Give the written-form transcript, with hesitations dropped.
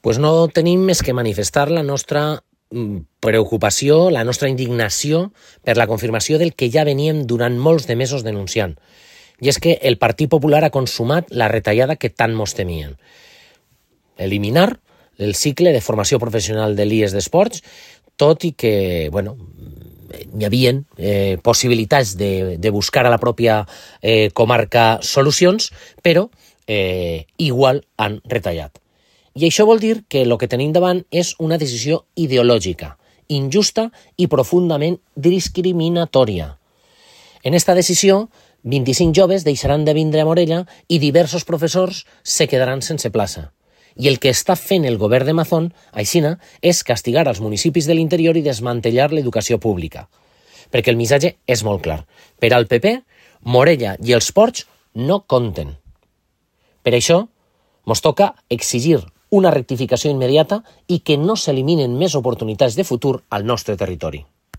Pues no tenim més que manifestar la nostra preocupació, la nostra indignació per la confirmació del que ja veníem durant molts de mesos denunciant. I és que el Partit Popular ha consumat la retallada que tant mos temien. Eliminar el cicle de formació professional de l'IES d'Esports, tot i que, hi havia possibilitats de buscar a la pròpia comarca solucions, però igual han retallat. I això vol dir que el que tenim davant és una decisió ideològica, injusta i profundament discriminatòria. En esta decisió, 25 joves deixaran de vindre a Morella i diversos professors se quedaran sense plaça. I el que està fent el govern de Mazón, aixina, és castigar els municipis de l'interior i desmantellar l'educació pública. Perquè el missatge és molt clar. Per al PP, Morella i els ports no compten. Per això, mos toca exigir una rectificació immediata i que no s'eliminen més oportunitats de futur al nostre territori.